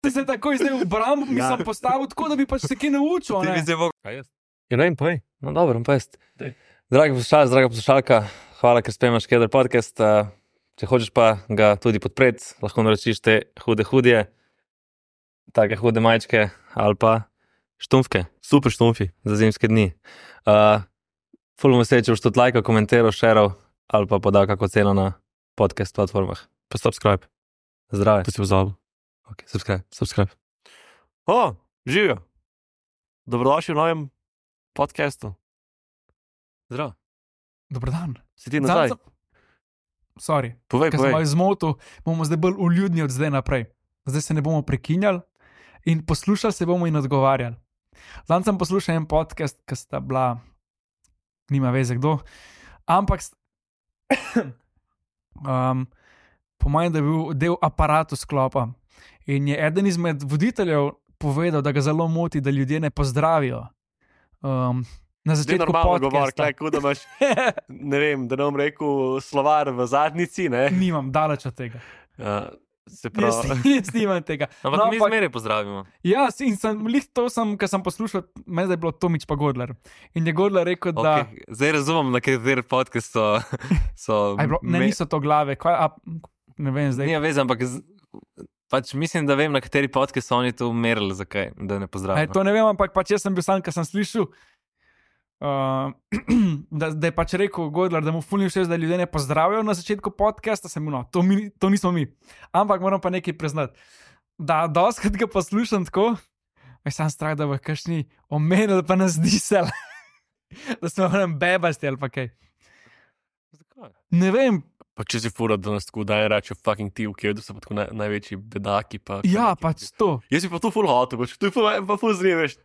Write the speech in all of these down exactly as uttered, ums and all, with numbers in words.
Ti se takoj zdaj v brambo, mi sem postavil tako, da bi pač se kaj naučil, ne? Ti bi se mogel... Kaj jaz? Ja, ne vem, poj. No, dobro, pa jaz. Dragi poslušalec, draga poslušalka, hvala, ker spremljaš Keder podcast. Če hočeš pa ga tudi podpreti, lahko naročiš te hude hudje, take hude majčke ali pa štumfke. Super štumfi za zimske dni. Uh, ful bom vesel, če boš tudi lajkal, komentiral, šeral ali pa podal kako ceno na podcast platformah. Pa subscribe. Zdrave. Pa si pozabil. Ok, subscribe. Subscribe. O, živijo. Dobrodošli v novem podcastu. Zdravo. Dobar dan. Si ti nazaj? Sorry, Povej, ker sem povej. malo zmotil, bomo zdaj bolj uljudni od zdaj naprej. Zdaj se ne bomo prekinjali in poslušali se bomo in odgovarjali. Zdaj sem poslušal en podcast, ki sta bila, nima veze kdo, ampak st... um, po mojem, da je bil del aparatu sklopa. In je eden izmed voditeljev povedal, da ga zelo moti, da ljudje ne pozdravijo. Um, na Zdaj začetku normalno govor, podcasta. kaj, da imaš, ne vem, da ne bom rekel slovar v zadnjici, ne? Nimam, daleč od tega. Uh, se Jaz, pravi, jaz nimam tega. Ampak No, mi ampak- zmeraj pozdravimo. Ja, in sem, lih to sem, ker sem poslušal, meni je bilo Tomič pa Godler. In je Godler rekel, da... Okay. Zdaj razumem, na kateri podcast so... so A je bilo, ne, me- niso to glave, kaj, a, ne vem zdaj. Nima veze, ampak z... pač mislim, da vem, na kateri podcast so oni to merili, zakaj, da ne A pozdravijo. je to ne vem, ampak pač jaz sem bil sam, ker sem slišal, uh, da, da je pač rekel Godler, da mu fulni všeč, da ljudje ne pozdravijo na začetku podcasta, sem bil, no, to, mi, to nismo mi. Ampak moram pa nekaj priznati, da doskrat ga poslušam tako, aj sam strah, da bo kakšni omenili pa nas disel, da smo vam bebasti ali pa kaj. Zakaj? Ne vem, pa če si fura, da nas tako daje reči fucking ti, v kjedu so pa tako naj, največji bedaki. Pa, ja, pač to. Jaz bi pa tu ful hotel, pač tu je pa, pa ful zriveš,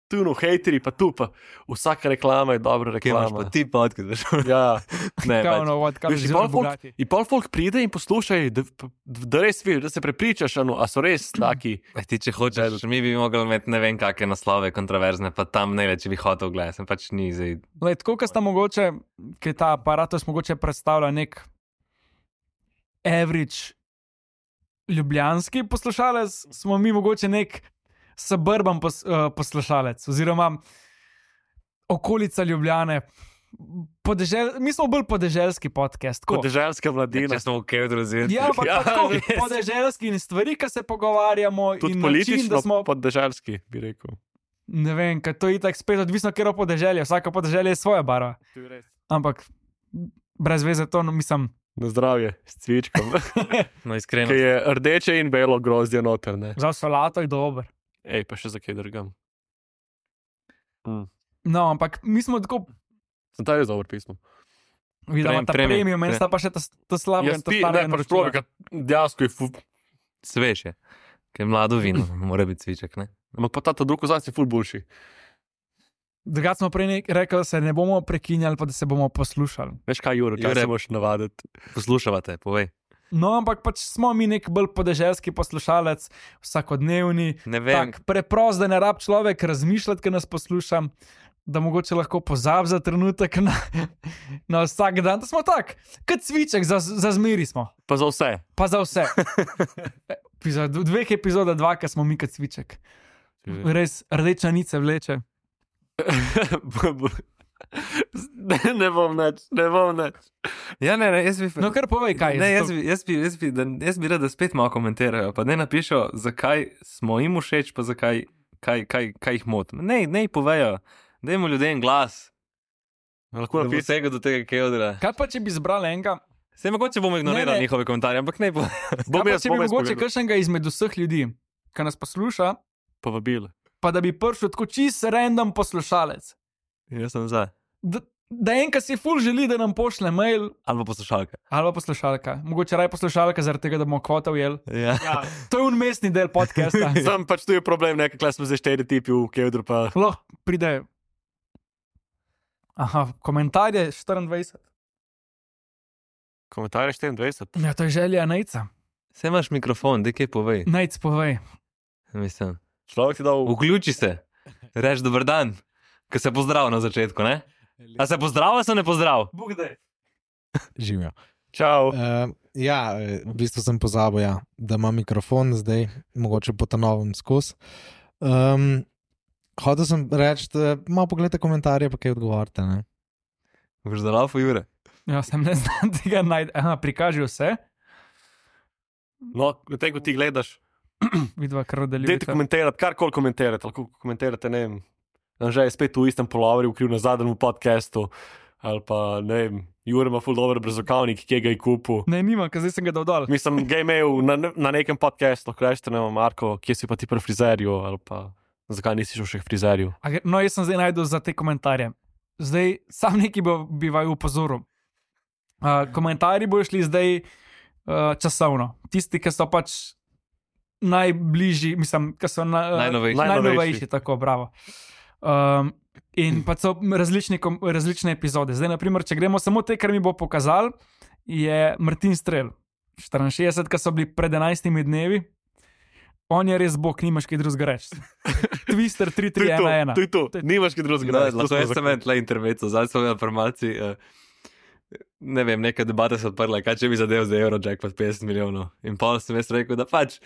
tu no, hejteri, pa tu pa vsaka reklama je dobra Kje imaš reklama. pa ti podcast? veš? Ja, ne, Kao, pač. no, what, kao, Veš, in zelo pol folk, bogati. in pol folk pride in poslušaj, da, da res vidiš, da se prepričaš, ano, a so res taki. Ej, ti, če hočeš, mi bi mogli imeti ne vem kakšne naslove kontroverzne, pa tam ne več, če bi hotel gledati, sem pač ni zdaj. Lej, tako, kot sta mogoče, ki ta aparatus mogoče predstavlja nek average ljubljanski poslušalec, smo mi mogoče nek suburban pos, uh, poslušalec, oziroma okolica Ljubljane. Podežel, mi smo bolj podeželski podcast. tako. Podeželska mladina. Če smo v Kevdru zvedeli. Ja, pa, Ja, pa tako, res. podeželski in stvari, ki se pogovarjamo. Tudi in politično način, da smo, podeželski, bi rekel. ne vem, ker to je tako spet odvisno, kjer je podeželje. Vsaka podeželje je svoja barva. Ampak brez veze to, no, mislim. Na zdravje, s cvičkom. No, iskreno. Ki je rdeče in belo grozdje noter, ne. Za solato je dober. Ej, pa še za kaj drgam. Mm. No, ampak mi smo tako Sem ta res dober pismo. videli, Prem- ta premium, premium, meni pre- sta pa še ta, ta slaba Jaz in ta ti, stara. ne, pač probi, ker dejansko je fu... Svež je. Ker je mlado vino, mora biti cviček, ne? Ampak pa ta, ta drug ozad je ful boljši. Drugače smo prej nek- rekli, da se ne bomo prekinjali, pa da se bomo poslušali. Veš kaj, Juro, kaj Jure. se moraš navaditi? Poslušavate, povej. No, ampak pač smo mi nek bolj podeželski poslušalec, vsakodnevni, Ne vem, tak preprost, da ne rab človek razmišljati, ker nas poslušam, da mogoče lahko pozabi za trenutek na, na vsak dan. Da smo tak, kot cviček, za, za zmeri smo, Pa za vse. pa za vse. Epizod, v dveh epizodah dva, ki smo mi kot cviček. Res rdeča nice vleče. ne, ne bom neč, ne bom neč. Ja, ne, ne, jaz bi... No, kar povej, kaj je. Ne, jaz zato- bi, jaz, bi, jaz, bi, da, jaz bi rad, da spet malo komentirajo, pa ne napišo, zakaj smo jim všeč, pa zakaj kaj, kaj, kaj jih moti. Ne, ne jih povejo, dajmo ljudem glas, Lahko da bo napišem. vsega do tega Kevdra. Kaj pa, če bi zbrali enega? Se mogoče bomo Ne, ignorirali ne. njihove komentarje, ampak ne bo. Bom Kaj pa, jaz, če bi bom jaz mogoče povedal. kakšnega izmed vseh ljudi, ki nas posluša, Povabil. pa da bi prišel tako čist random poslušalec. Jaz sem za. Da, da enkrat si ful želi, da nam pošle mail Ali pa poslušalka. ali pa poslušalka. Mogoče raj poslušalka, zaradi tega, da bomo kvota ujeli. Ja. Ja. To je unmestni del podcasta. Sam pač tu je problem, nekaj, kle smo zdaj štiri tipi v Kevdru, pa Lahko pride. Aha, komentarje štiriindvajset. komentarje štiriindvajset. Ja, to je želja Nejca. Se imaš mikrofon, da kaj povej. Nejc povej. Mislim, Človek ti dal... vključi se, reč dober dan, ko se pozdrav na začetku, ne? A se pozdrav, ali se ne pozdrav? Bog daj. Živijo. Čau. Uh, Ja, v bistvu sem pozabil, ja, da ima mikrofon zdaj, mogoče po ta novem skus. Um, Hotel sem reči, da malo pogledajte komentarje, pa kaj odgovorite. Ne? Boš zalafo, Jure? Ja, sem ne znam tega najti. Aha, prikaži vse. No, tem, ko ti gledaš, Vidva, kar dajte nadaljujete. komentirati, karkoli komentirate. Lahko komentirate, ne vem, Anže je spet v istem polovrju, kriv na zadnjem podcastu, ali pa, ne vem, Jure ima ful dober brezokavnik, kje ga je kupil. Ne, nima, ker zdaj sem ga dal dol. Mislim, ga je imel na, na nekem podcastu, lahko rečete, ne vem, Marko, kje si pa ti pri frizerju, ali pa zakaj nisi šel še k frizerju. A gre- No, jaz sem zdaj najdel za te komentarje. Zdaj, sam neki bo, bi vaju upozoril. Uh, komentarji bojo šli zdaj uh, časovno. Tisti, ki so pač najbližji, mislim, ki so na, uh, Najnovejši. najnovejši, tako, bravo. Um, in pa so različni, kom- različne epizode. Zdaj, naprimer, če gremo samo te, kar mi bo pokazal, je Martin Strel, štiriinšestdeset, ki so bili pred enajstimi dnevi. On je res bog, nimaš kaj drugega reči. Twister tri tri ena ena. To je to, nimaš kaj drugega. No, reči, to lahko smo jaz sem zaključili. en tle intermezzo, zdaj sem imel informacij. Uh, ne vem, neka debata se odprla, kaj če bi zadev za Eurojackpot petdeset milijonov. In pa sem jaz rekel, da pač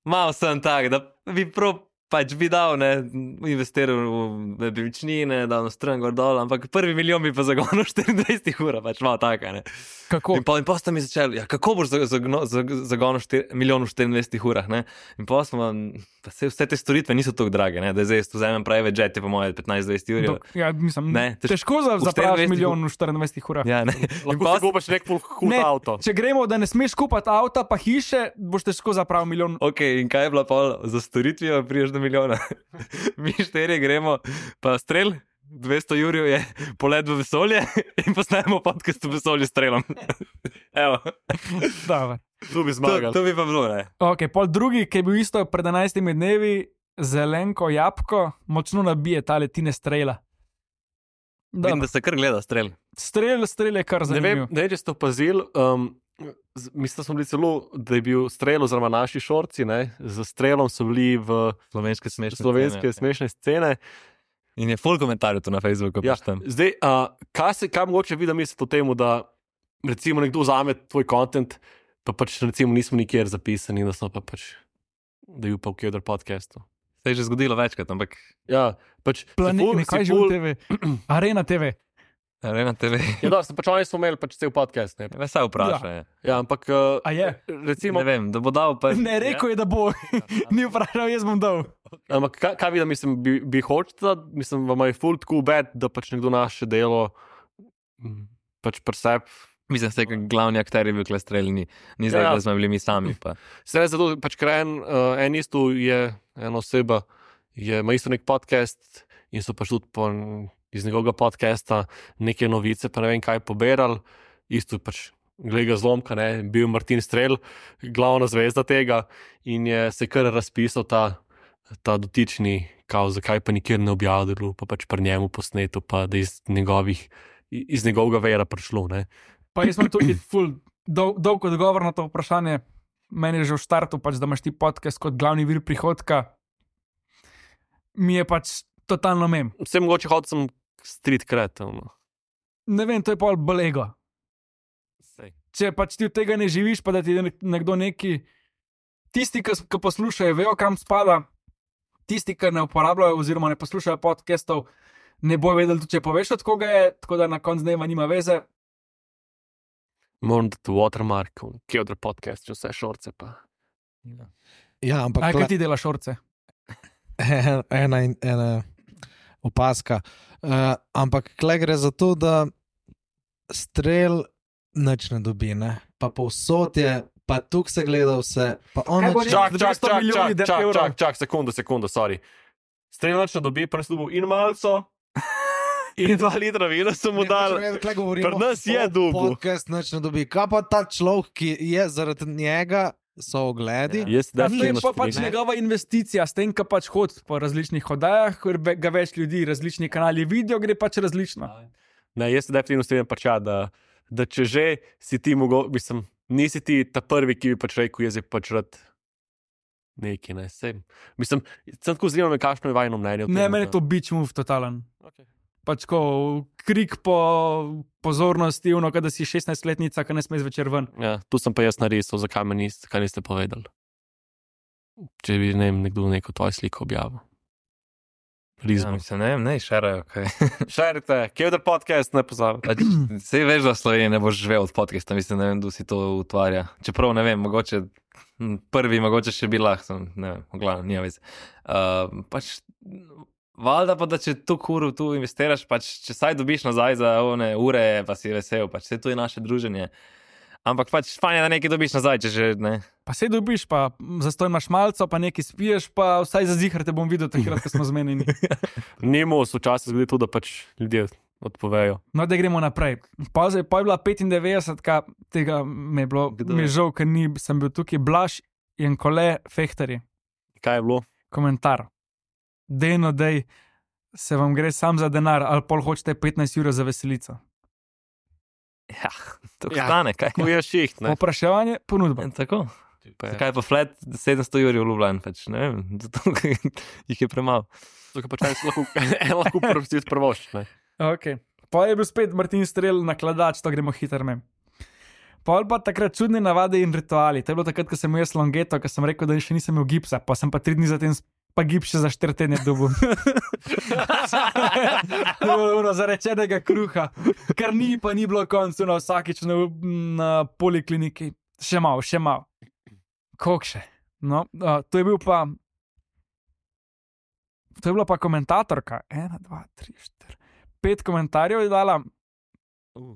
malo sem tak, da bi prav pač bi dal, ne, investiral v nepremičnine, dal na stran gor dol, ampak prvi milijon bi pa zagonil štiriindvajset ur, pač malo taka, ne. Kako? In pa, in pa sta mi začeli, ja, kako boš za- zagno- zag- zagonil štir- milijon v štiriindvajsetih urah, ne. In pa smo, pa se vse te storitve niso tako drage, ne, da zdaj jaz tu vzamem private jet, je po moje petnajst do dvajset ur. Dok, ja, mislim, Ne, tež- težko za, v zapraviš štiriindvajsetih milijon v štiriindvajsetih urah. Ja, ne. In Lahko pa si kupaš nek ful hud Ne, avto. Če gremo, da ne smeš kupiti avta, pa hiše, boš težko zapravil milijon. Ok, in kaj je bila pol za storitvijo, priješ do milijona. Mi štirje gremo, pa strel, dvesto jurjev je polet v vesolje in posnajemo podcast v vesolju s strelom. Evo, Dobro. Tu bi to, zmagal. to bi pa bilo, ne. Ok, pol drugi, ki je bil isto pred enajstimi dnevi, zelenko jabko, močno nabije tale Tine Strela. Vidim, da se kar gleda strel. Strel, strel je kar Ne vem, zanimiv. ne vem, če ste opazili, um, z- mislim, da smo bili celo, da je bil strel, oziroma naši šorci, ne, z strelom so bili v Slovenske smešne slovenske scene. smešne scene. In je full komentarjev tu na Facebooku. Ja, pač tam. zdaj, uh, kaj se, kaj mogoče vi, da mislite o tem, da recimo nekdo vzame tvoj kontent, pa pač recimo nismo nikjer zapisani, da smo pa pač, da je upal v Kjodr podcastu. Se je že zgodilo večkrat, ampak Ja, pač si Planet, ful- ne, kaj si že v ful- T V? Arena T V. Arena T V. Ja, da, pač oni smo imeli pač cel podcast. Ne, Me vse vpraša. Ja. ja, ampak uh, A je? recimo, Ne vem, da bo dal pa. Ne, rekel je, da bo. Ni vprašal, jaz bom dal. ampak kaj, kaj vi, da mislim, bi, bi hočete, da mislim, vam je full cool bad, da pač nekdo naše delo mm, pač presep. Mislim, da je glavni akter je bil kle streljni. Ni zdaj, Ja, ja. da smo bili mi sami. Pa. Se ne zato, pač ker en, uh, en isto je ena oseba, je, ima isto nek podcast in so pač tudi po, iz njegovega podcasta neke novice, pa ne vem kaj poberali, isto pač glede zlomka, ne, bil Martin Strel, glavna zvezda tega in je se kar razpisal ta, ta dotični, kao, zakaj pa nikjer ne objavil, pa pač pri njemu posnetu, pa da iz njegovih, iz njegovega vera prišlo, ne. Pa jaz imam tudi ful dol, dolg odgovor na to vprašanje. Meni je že v startu, pač, da imaš ti podcast kot glavni vir prihodka. Mi je pač totalno mem. Vse mogoče hodil sem street kreativno. Ne vem, to je pol bolego. Če pač ti od tega ne živiš, pa da ti nek- nekdo neki, tisti, ki, ki poslušajo, vejo, kam spada, tisti, ki ne uporabljajo oziroma ne poslušajo podcastov, ne bojo vedeli, tudi če poveš, od koga je, tako da na koncu dneva nima veze. Moram dati watermark, Kjodr podcast, če vse šorce pa. Ja, ampak Aj, tle- kaj ti delaš, šorce? ena, in- ena opaska. Uh, ampak kle gre za to, da strel nič ne dobi, ne? Pa povsod je, pa tukaj se gleda vse, pa on Kaj bo nič- rekel? Čak, čak, dvesto čak, milijoni čak, čak, evrov. čak, čak, sekundu, sekundu, sorry. Streljač ne dobi, pa dobil in malco, in dva litra vina so mu Ne, hočem dali. vedeti, kaj govorimo. Pri nas je O, dobil. Podcast nič ne dobi. Kaj pa ta človek, ki je zaradi njega, so ogledi? Jaz Ja, to je definitivno pa pač strinjam. njegova investicija, s tem, ko pač hodi po različnih oddajah, ker ve- ga več ljudi, različni kanali vidijo, gre pač različno. Ne, jaz se definitivno strinjam pač ja, da, da če že si ti mogo, mislim, nisi ti ta prvi, ki bi pač rekel, jaz je pač rad neki, ne, sem. Mislim, sem tako zanimivo, kakšno je vajno mnenje o tem. Ne, meni je da- to beach move totalen. Okay. pač ko krik po pozornosti, ono, kada si šestnajstletnica, ki ne sme zvečer ven. Ja, tu sem pa jaz narisal, zakaj me niste, kaj niste povedali. Če bi ne vem, nekdo neko tvojo sliko objavil. Ja, Lizbo. mislim, ne vem, ne, šerajo, kaj. Šerite, Kevder podcast, ne pozabi. Pač, sej veš, da v Sloveniji ne boš živel od podcasta, mislim, ne vem, kdo si to utvarja. Čeprav, ne vem, mogoče hm, prvi, mogoče še bi lahko, ne vem, v glavnem, nija vez. Uh, pač, valjda pa, da če tu kuru, tu investiraš, pač, če saj dobiš nazaj za one ure, pa si vesel, pač, vse tu je naše druženje. Ampak pač, fajn je, da nekaj dobiš nazaj, če že, ne. Pa se dobiš, pa zastoj imaš malco, pa nekaj spiješ, pa vsaj za zihar te bom videl takrat, ko smo zmenjeni. Nemo se včasih zgodi tudi, da pač ljudje odpovejo. No, da gremo naprej. Pa, zdaj, pa je bila petindevetdesetka, tega me je bilo, Kdo mi je je? žal, ker ni, sem bil tukaj Blaž in Kole Fehterji. Kaj je bilo? Komentar. Dejno, dej, se vam gre sam za denar, ali pol hočete petnajst ur za veselico. Ja, to Ja. stane, kaj. Ko je šiht, ne? Popraševanje, ponudba. In tako. Pa je- Zakaj pa flat sedemsto jurjev v Ljubljani, pač, ne vem, zato ker jih je premalo. Tukaj pač en si lahko, en lahko prvosti prvošči, ne? Okay. Pa je bil spet Martin Strel nakladač, to gremo hitro mem. Pol pa takrat čudne navade in rituali. To je bilo takrat, ko sem imel jaz longeto, ko sem rekel, da še nisem imel gipsa, pa sem pa tri dni zatem pa gips še za štiri tedne dobil. Ono zarečenega kruha, kar ni, pa ni bilo koncu, no vsakič na, na polikliniki. Še malo, še malo. Kok še? No, uh, to je bil pa. To je bila pa komentatorka. Ena, dva, tri, štiri. Pet komentarjev je dala. Uh.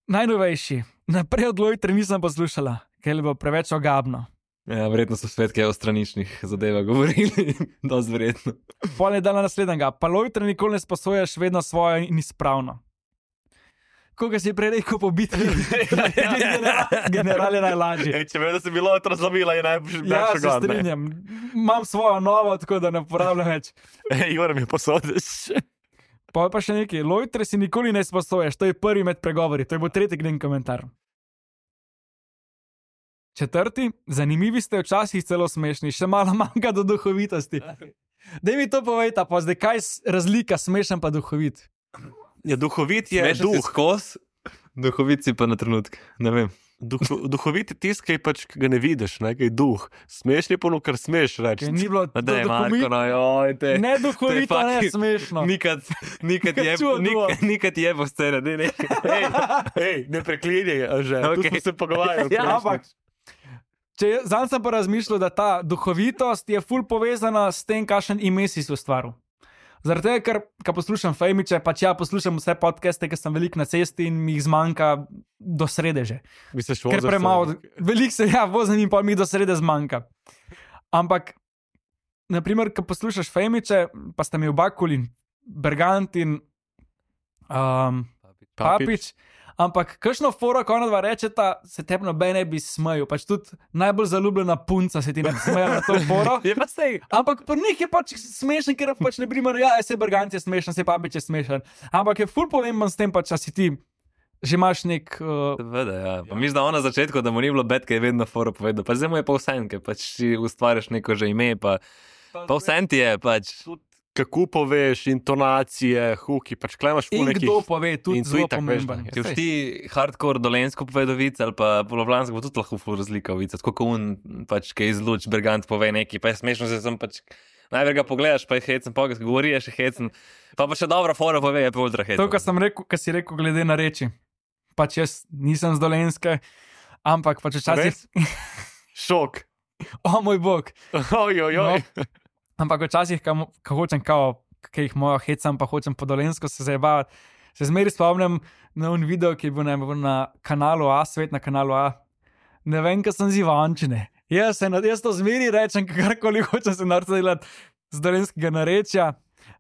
Najnovejši. Naprej od Lojtre nisem poslušala, ker je bilo preveč ogabno. Ja, verjetno so svet kaj o straničnih zadevah govorili, dosti verjetno. Pol je dala naslednjega. Pa Lojtre nikoli ne sposojaš vedno svojo in izpravno. Koga si prej rekel po bitki? General je najlažji. Ej, če vem, da si bilo otra zlomila, je najbolj Ja, se strinjam. Imam svojo novo, tako da ne uporabljam več. Ej, Igor mi posodiš. Pa pa še nekaj. Lojtre si nikoli ne sposojaš, to je prvi med pregovori, to je bo tretji glen komentar. Četrti, zanimivi ste včasih celo smešni, še malo manjka do duhovitosti. Daj mi to povejta, pa zdaj kaj je razlika smešen pa duhovit? Ja, duhovit je Smešen si duh. skos, duhovit si pa na trenutke, ne vem. Duh, duhovit je tisti, ki pač ki ga ne vidiš, ne, ki je duh. Smešni je pa ono, kar smeš reči. Ker ni bilo Pa daj, do Marko, duhovit- no, joj, te. Ne duhovito, to je ne fucking- smešno. Nikad, nikad je, Čudo. nikad, nikad je po sceni, ne, ne. Ej, ej, ne preklinjaj, a že. Okay. Tu Okej. smo se pogovarjali. Ja, Ampak, če zanj sem pa razmišljal, da ta duhovitost je ful povezana s tem, kakšen ime si si ustvaril. Zaradi tega, ker ko poslušam Fejmiče, pač ja poslušam vse podcaste, ker sem veliko na cesti in mi jih zmanjka do srede že. Misliš, Ker premalo, veliko se ja vozim in pa mi do srede zmanjka. Ampak, naprimer, ko poslušaš Fejmiče, pa sta mi oba kul in Bergant in um, Papič. Ampak, kakšno foro, ko ona dva rečeta, se tebi noben ne bi smejal. Pač tudi najbolj zaljubljena punca se ti ne bi smejala na to foro. Je pa sej. Ampak pri njih je pač smešen, ker pač ne primer, ja, se Bergant je smešen, se Papič je smešen. Ampak je ful pomemben s tem, pač, a si ti že imaš nek. Uh, Seveda, ja. Pa mislim, da ona na začetku, da mu ni bilo bed, ki je vedno foro povedal. Pa zdaj mu je pa vse, ker pač si ustvarjaš neko že ime, pa, pa vse ti je pač. Kako poveš, intonacije, huki, pač klemaš in v nekih. kdo pove, tudi in zelo itak veš, pomemben. da- Če boš ti hardcore dolensko povedal vic ali pa polovlansko, bo tudi lahko ful razlika v vicah. Tako kot un, pač, ki izluč, Bergant pove neki, pa je smešno, da sem pač. Najprej ga pogledaš, pa je hecen, pa ga govori, je še hecen. Pa pa še dobra fora pove, je pa ultra hecen. To, kar sem rekel, kar si rekel, glede na reči. Pač jaz nisem z Dolenske, ampak pač včasih. Šok. O moj bog. Oj, oj, oj. No, ampak včasih, ko hočem, kao, ki jih moja hecam, pa hočem po Dolensko se zabavati, se zmeri spomnim na un video, ki je bil na, na kanalu A, svet na kanalu A. Ne vem, kaj sem z Ivančine. Jaz, se, jaz to zmeri rečem, karkoli hočem se narediti delati z dolenskega narečja,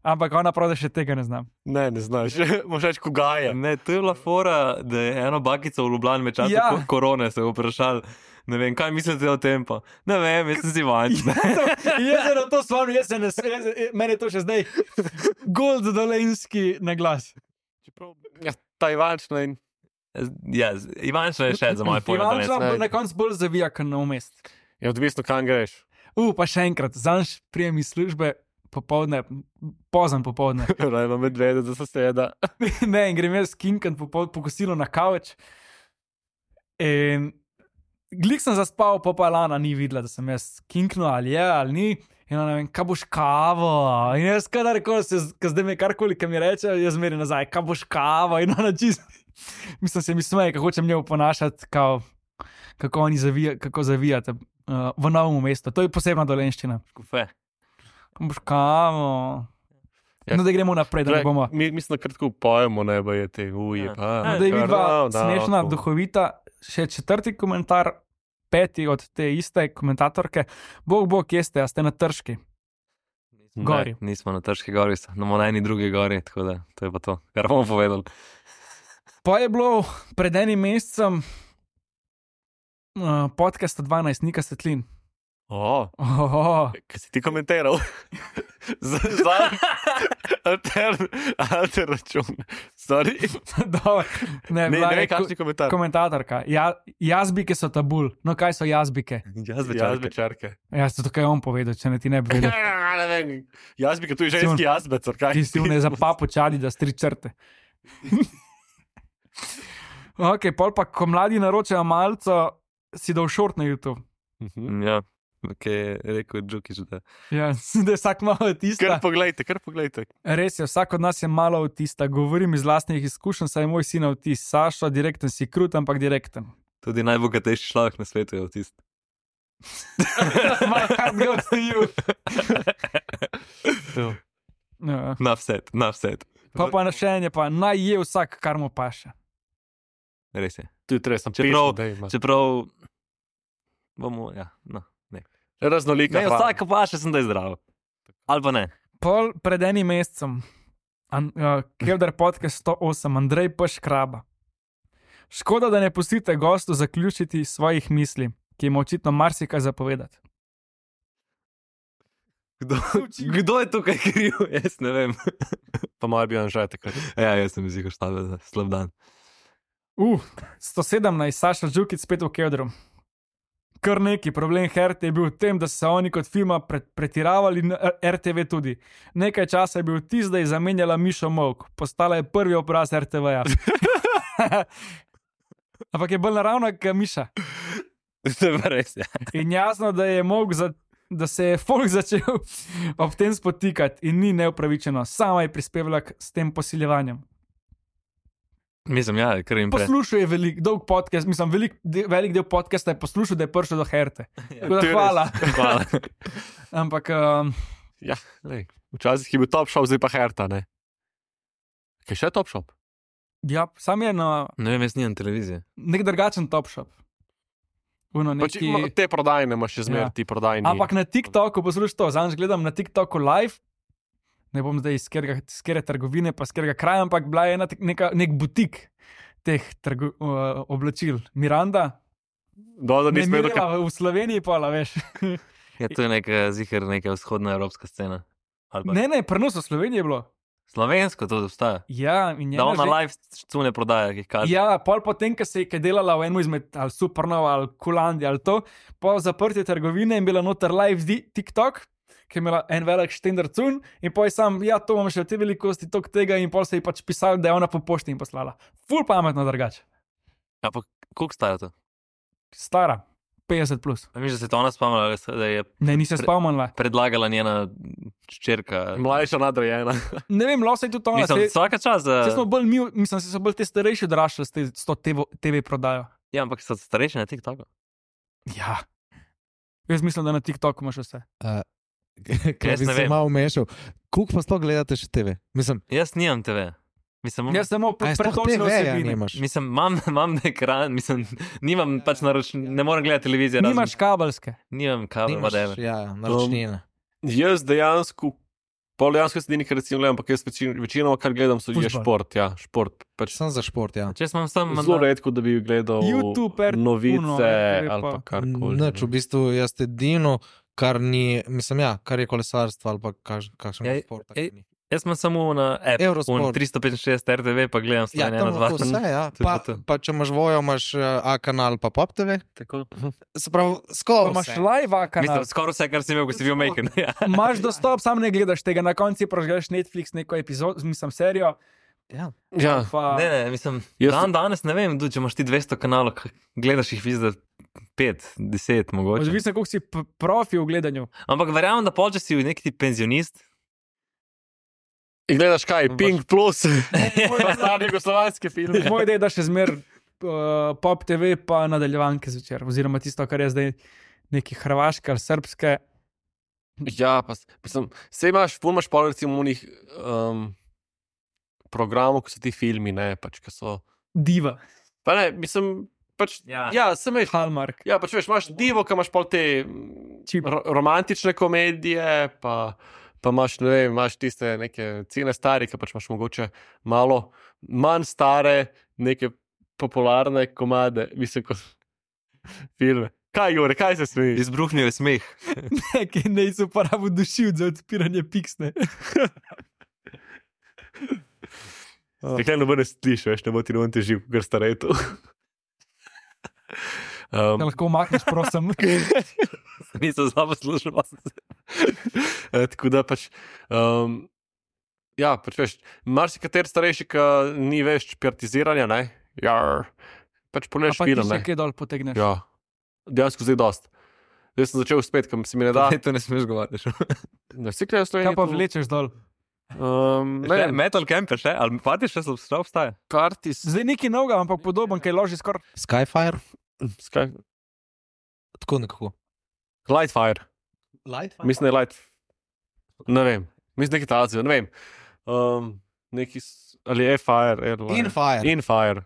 ampak ona pravi, da še tega ne znam. Ne, ne znaš. Moš reči, koga je. Ne, to je bila fora, da je eno bakico v Ljubljani med časom Ja. ja. korone se vprašal. Ne vem, kaj mislite o tem pa? Ne vem, jaz sem si vanč. Jaz se na to spomnim, jaz se ne smem, meni je to še zdaj gold dolenski na glas. Čeprav, ja, ta Ivančna in Ja, Ivančna je še za moje pojme. Ivančna ne. bo na koncu bolj zavija, kot na umest. je odvisno, kam greš. U, pa še enkrat, zanj prijem iz službe, popovdne, pozem popovdne. Rajno medvede za soseda. Ne, in grem jaz kinkan po, po kosilu na kavč. In glik sem zaspal, pa pa Lana ni videla, da sem jaz kinknil ali je ali ni. In ona ne vem, kaj boš kavo. In jaz kadarkoli se, zdaj me karkoli, kaj mi reče, jaz zmeri nazaj, kaj boš kavo. In ona čist, mislim, se mi smeje, kako hočem njo ponašati, kao, kako oni zavija, kako zavijate uh, v novem mestu. To je posebna dolenščina. Škofe. Kaj boš kavo. Ja. No, da gremo naprej, da ne bomo. Mi, mislim, da kratko pojemo, ne bo je te uje. Ja. Pa, No, da je vidva no, smešna, no, duhovita. Še četrti komentar, peti od te iste komentatorke. Bog, bog, kje ste, a ste na Trški? Gori. Ne, nismo na Trški gori, smo na eni drugi gori, tako da to je pa to, kar bomo povedali. Pa je bilo pred enim mesecem uh, podcasta dvanajst, Nika Svetlin. O, Oh, oh. kaj si ti komentiral? za za alter, alter račun. Sorry. Dobro, ne, Ne, bila ne je vem, kakšni ko- komentar. komentatorka. Ja, jazbike so tabul. No, kaj so jazbike? Jaz Jaz bi črke. Ja, se to kaj on povedal, če ne ti ne bi vedel. Ne vem, jaz bi, tu je ženski jazbec, ali kaj? Ti si vne za papu čadi, da stri črte. Ok, pol pa, ko mladi naročajo malco, si dal šort na YouTube. Mhm. Ja, ki je rekel Džukič, da Ja, da je vsak malo Kar autista. poglejte, kar poglejte. Res je, vsak od nas je malo autista. Govorim iz lastnih izkušenj, saj je moj sin autist. Sašo, direkten si krut, ampak direkten. tudi najbogatejši človek na svetu je avtist. My heart goes to you. Ja. Na vset, na vset. Pa pa na še en je pa, naj je vsak, kar mu paše. Res je. Tu je treba, sem Čeprav- pesem, da ima. Čeprav bomo, ja, no. Raznolika. Ne, hrana. vsak pa še sem da je zdrav. Ali pa ne. Pol pred enim mesecem, An, uh, Kelder podcast sto osem, Andrej P. Škraba. Škoda, da ne pustite gostu zaključiti svojih misli, ki ima očitno marsikaj zapovedati. Kdo, kdo je tukaj kriv? Jaz ne vem. Pa malo bi Anžaj takrat. Ja, jaz sem izjih štabil za slab dan. Uh, sto sedemnajst, Saša Džukic spet v Keldru. Kar neki problem H R T je bil v tem, da so se oni kot firma pre, pretiravali, in R T V tudi. Nekaj časa je bil tisti, da je zamenjala Mišo Molk, postala je prvi obraz R T V-ja. Ampak je bolj naravna kot Miša. To je pa res, ja. In jasno, da je Molk za. Da se je folk začel ob tem spotikati in ni neupravičeno, sama je prispevala k, s tem posiljevanjem. Mislim, ja, kar jim pre. Poslušal je velik, dolg podcast, mislim, velik, de, velik del podcasta je poslušal, da je prišel do H R T. Tako da To je hvala. Hvala. Ampak um, Ja, lej. Včasih je bil Top Shop, zdaj pa Herta, ne? Kaj še je Top Shop? ja, sam je na Ne vem, jaz nimam televizije. nek drugačen Top Shop. Uno, Pač, neki, ima- te prodajne imaš še zmeraj, Ja. ti prodajni. ampak na TikToku, poslušaj to, zanj gledam na TikToku live, ne bom zdaj iz kere trgovine, pa iz kerega kraja, ampak bila je ena tek- neka, nek butik teh trgo, uh, oblačil. Miranda, Do, da ne nismo vedeli, Mirela, v Sloveniji pa, veš. Ja, to je neka, ziher, neka vzhodna evropska scena. Ali pa Ne, ne, prenos v Sloveniji je bilo. slovensko to obstaja. Ja, in Da njena ona že- live cune prodaja, ki jih kaže. Ja, pol potem, ko se je kaj delala v enem izmed ali Supernova ali Kulandi ali to, po zaprtju trgovine in bila noter live di- TikTok, ki je imela en velik štender cun in poj sam, ja, to imam še v te velikosti, tok tega in pol se je pač pisal, da je ona po pošti in poslala. Ful pametno drugače. Ja, pa koliko staja to? Stara, petdeset plus. A Mislim, da se je to ona spomnila, da je Ne, nisem Pre- spomnila. predlagala njena čerka. mlajša nadrejena. Ne vem, lahko se je tudi ona. Mislim, Saj vsaka čas. saj Uh, smo bolj mi, mislim, da so bolj te starejši odraščali s, te, s to T V, T V prodajo. ja, ampak so starejši na TikToku. Ja. Jaz mislim, da na TikToku imaš vse. Ker Jaz bi ne se vem. malo umešal. Kuk pa sploh gledate še T V? Mislim, Jaz nimam T V. Mislim, Jaz samo a je sploh pretočne T V-ja vsebine. nimaš? mislim imam, imam ekran, mislim, nimam pač naroč, ne morem gledati televizije. razen- Nimaš kabelske. Nimam kabel, Nimaš, whatever. ja, naročnine. Jaz dejansko, pol dejansko se edini, kar recimo gledam, ampak jaz večin, večinoma, kar gledam, so je Fuzbal. šport. Ja, šport. Pač Sem za šport, ja. Če sem sam zelo redko, da bi gledal YouTube, R- novice Uno, R T V ali pa pa. karkoli. Neč, v bistvu jaz edino, kar ni, mislim, ja, kar je kolesarstvo ali pa kaž, kakšen Ja, šport. ej, taki ni. Jaz sem samo na app, Eurosport. tristo petinšestdeset R T V, pa gledam Ja, Slovenija tam ena dva. lahko vse, ja. To je Pa, to. pa če imaš vojo, imaš uh, A kanal, pa Pop T V. Tako. Se pravi, Pa skoraj imaš vse. live kanal. Mislim, skoraj vse, kar si imel, ko si bil majhen. Ja. Imaš dostop, sam ne gledaš tega, na koncu prožgeš Netflix neko epizodo, mislim serijo. Ja. Ja, Pa, Ne, ne, mislim, Jaz- dan danes ne vem, tudi, če imaš ti dvesto kanalov, k- gledaš jih vizda pet, deset mogoče. Odvisno, koliko si p- profi v gledanju. Ampak verjamem, da pol, če si neki ti penzionist, in gledaš kaj, Baš- Pink Plus, pa stari jugoslovanski film. Moj ideja je, da še zmer uh, Pop T V pa nadaljevanke zvečer, oziroma tisto, kar je zdaj neki hrvaške ali srpske. Ja, pa s- mislim, sej imaš, ful imaš pol recimo unih um, programov, ko so ti filmi, ne, pač, ko so, Diva, pa ne, mislim, pač, Ja. ja, sem veš, Hallmark. ja, pač veš, imaš divo, ko imaš pol te mm, Čip. ro romantične komedije, pa, pa imaš, ne vem, imaš tiste neke cene stare, ki pač imaš mogoče malo manj stare, neke popularne komade, mislim, kot filme. Kaj, Jure, kaj se smejiš? izbruhnil je smeh. Nekaj ne izuporabil dušilc za odpiranje piksne. Nekaj noben ne slišiš, veš, ne bo ti noben težil, ker starej to. Da Um, lahko umakneš, prosim. Nisem zelo poslušal. pa sem se- eh, tako da pač, um, ja, pač veš, marsikater starejši, ki ni več pirtiziranja, ne, ja, pač A pogledaš pa ti film, še ne. kaj dol potegneš. Ja, dejansko zdaj dost. Zdaj sem začel spet, kam se mi ne da. Da, to ne smeš govoriti. Ne, vsi gledajo Slovenijo. Kaj pa vlečeš dol? Um, ne, Ne, metal camper še, ali pati še so še obstaja. partis, Zdaj nekaj novega, ampak podoben, kaj loži skoraj. Skyfire, skaj, tako nekako. Lightfire, Lightfire? mislim, da je light, ne vem, mislim, neki tazijo, ne vem. Um, neki, s- ali je fire, airline. Infire. Infire.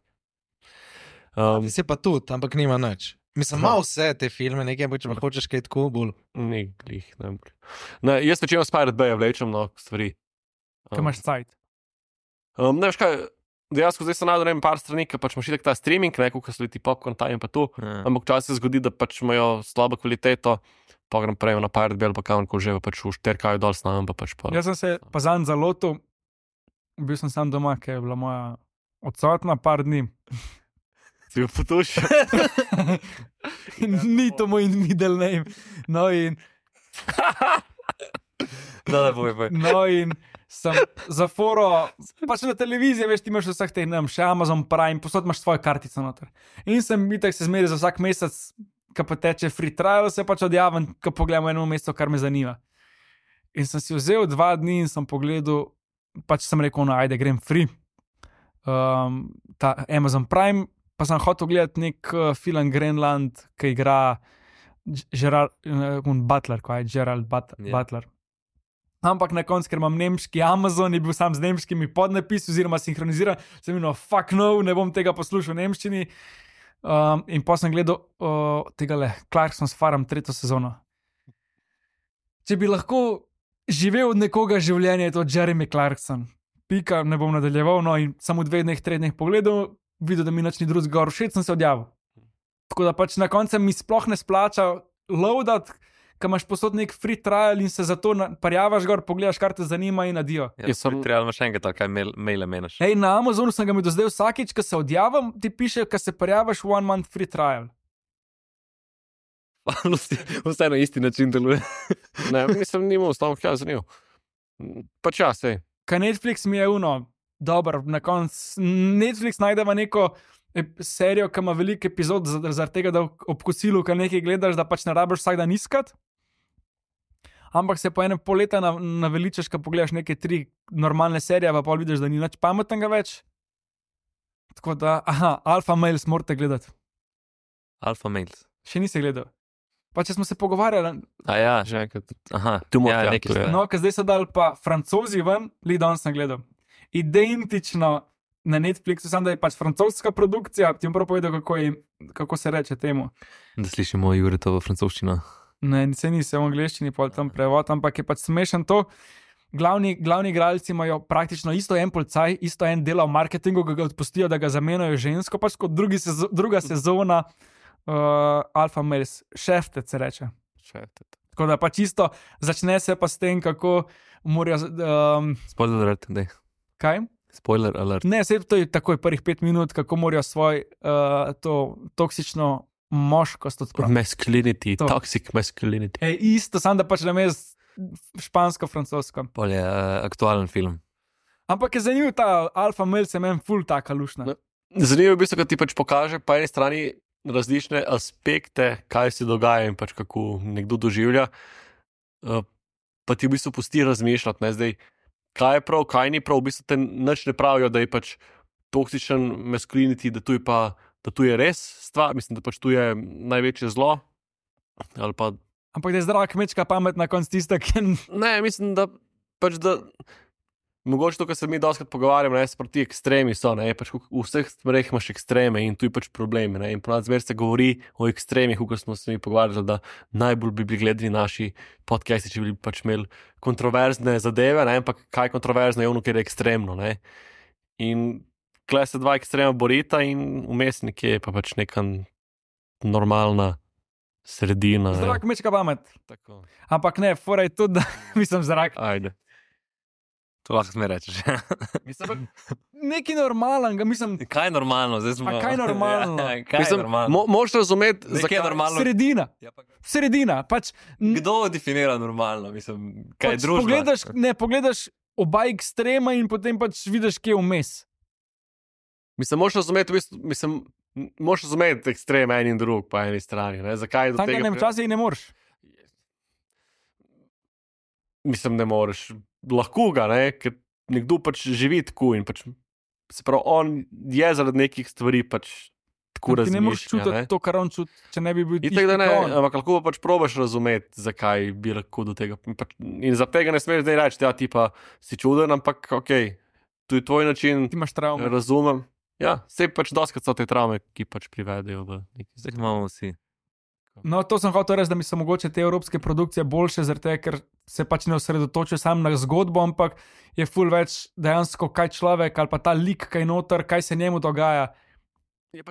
Um, Se pa tudi, ampak nima nič. Mislim, Aha. ima vse te filme, nekaj, ampak če pa hočeš kaj tako bolj. ni glih, ne vem. Ne, jaz večino Spirit Bay vlečem, no, stvari. Kaj imaš cajt. Um, ne veš kaj, dejansko zdaj sem najdel ne vem, par strani, ki pač imaš itak ta streaming, ne, ko so ti popcorn time in pa to, Ja. ampak včasih se zgodi, da pač imajo slabo kvaliteto, pa grem prej na Pirate Bay ali pa kamor že, pa pač v šterkaju dol snamem, pa pač pa. Jaz sem se pa zanj zalotil, bil sem sam doma, ker je bila moja odsotna par dni. Si jo potuš. Ni to moj middle name. No in, Da, da, boj, boj. no in sem za foro, pač na televiziji, veš, ti imaš vseh teh, ne vem, še Amazon Prime, posod imaš svojo kartico noter. In sem itak se zmeri za vsak mesec, ko pa teče free trial, se pač odjavim, ko pogledam eno mesto, kar me zanima. In sem si vzel dva dni in sem pogledal, pač sem rekel, no, ajde, grem free. Um, ta Amazon Prime, pa sem hotel gledati nek uh, film Greenland, ki igra Ž- Gerard uh, Butler, kaj je Gerald But Ja. Butler. Ampak na koncu, ker imam nemški Amazon, je bil sam z nemškimi podnapisi, oziroma sinhroniziran, sem imel, fuck no, ne bom tega poslušal v nemščini. Um, in pa sem gledal uh, tega le, Clarkson's Farm, tretjo sezono. Če bi lahko živel od nekoga življenja, je to Jeremy Clarkson. Pika, ne bom nadaljeval, no in samo v dveh dneh, treh dneh pogledal, videl, da mi nič ni drugega gor všeč, sem se odjavil. Tako da pač na koncu mi sploh ne splača loadat, ko imaš posod nek free trial in se zato na- parjavaš gor, pogledaš, kar te zanima in adijo. Ja, Jaz sem- Treba imaš še enkrat, ali kaj mail, maile meniš. Ej, na Amazonu sem ga imel do zdaj vsakič, ko se odjavim, ti piše, ko se parjavaš one month free trial. Vse na isti način deluje. Ne, mislim, nimam stavk, ja, zanimivo. Pač ja, sej. Kaj Netflix mi je uno, dobro, na koncu Netflix najdeva neko ep- serijo, ki ima veliko epizod, za- zaradi tega, da ob kosilu, ki nekaj gledaš, da pač ne rabiš vsak dan iskat. Ampak se po enem pol leta na- naveličaš, ko pogledaš neke tri normalne serije, pa pol vidiš, da ni nič pametnega več. Tako da, aha, Alpha Males morate gledati. Alfa mails. Še nisi gledal. Pa če smo se pogovarjali, A ja, Že enkrat. aha, Tu mora- ja, ja, nekaj to je. ste. no, ker zdaj so dali pa francozi ven, li danes sem gledal. Identično na Netflixu, samo da je pač francoska produkcija, ti bom prav povedal, kako, je, kako se reče temu. Da slišimo Juretovo francoščino. Ne, se ni se v angleščini, pol tam prevod, ampak je pač smešen to. Glavni, glavni igralci imajo praktično isto en policaj, isto en dela v marketingu, ki ga odpustijo, da ga zamenjajo žensko, pač kot drugi sezo, druga sezona uh, Alpha Males, šeftec se reče. Še, Tako da pa čisto začne se pa s tem, kako morajo. Um, Spoiler alert, dej. kaj? Spoiler alert. Ne, se to je takoj prvih pet minut, kako morajo svoj uh, to toksično moškost odpraviti. Masculinity, To. toxic masculinity. E, isto, samo da pač namest špansko-francosko. Pol je uh, aktualen film. Ampak je zanimiv ta alfa mail, se meni ful taka lušna. No. Zanimivo je, v bistvu, da ti pač pokaže po eni strani različne aspekte, kaj se dogaja in pač kako nekdo doživlja. Uh, pa ti v bistvu pusti razmišljati, ne, zdaj, kaj je prav, kaj ni prav. V bistvu te nič ne pravijo, da je pač toksičen masculinity, da tu je pa, da tu je res stvar, mislim, da pač tu je največje zlo. Ali pa Ampak da je zdrava kmečka pamet na koncu tista, ki ne, mislim, da pač da. Mogoče to, kar se mi doskrat pogovarjamo, ne, proti ekstremi so, ne, pač v v vseh stvareh imaš ekstreme in tu je pač problem, ne, in ponad zmer se govori o ekstremih, kot smo se mi pogovarjali, da najbolj bi bili gledani naši podcasti, če bi pač imeli kontroverzne zadeve, ne, ampak kaj kontroverzno je ono, ker je ekstremno, ne. In tukaj se dva ekstrema borita in vmes nekje je pa pač neka normalna sredina. ne. zdrava kmečka pamet. Tako. Ampak ne, fora je tudi, da mislim zrak. Ajde. To lahko mi rečeš. Mislim, Nekaj normalnega, mislim, Kaj je normalno? Zdaj smo... A kaj je normalno? Ja, kaj je mislim, normalno? mo, moš razumeti, Zakaj je zakaj normalno? sredina. Ja, pa... Sredina, pač, n- Kdo definira normalno? Mislim, kaj je pač družba? pogledaš, ne, pogledaš oba ekstrema in potem pač vidiš, kje je vmes. Mislim, moš razumeti, v bistvu, mislim, moš razumeti ekstrem en in drug po eni strani. Ne? Zakaj do Tako tega? ne, včasih ne moreš. Mislim, ne moreš. Lahko ga, ne? Ker nekdo pač živi tako in pač, se pravi, on je zaradi nekih stvari pač tako Ti ne moreš razmišlja. čutiti Ne? to, kar on čuti, če ne bi bil In tako da ne, tisti, kot on. ampak lahko pa pač probaš razumeti, zakaj bi lahko do tega. Pač, in za tega ne smeš zdaj reči, da ti pa si čuden, ampak ok, to je tvoj način, Ti imaš travme. razumem. Ja, se pač doskrat so te travme, ki pač privedejo v neki Zdaj zdaj. imamo vsi. No, to sem hotel reči, da mi so mogoče te evropske produkcije boljše, zaradi tega, ker se pač ne osredotočajo samo na zgodbo, ampak je ful več dejansko, kaj človek ali pa ta lik, kaj noter, kaj se njemu dogaja.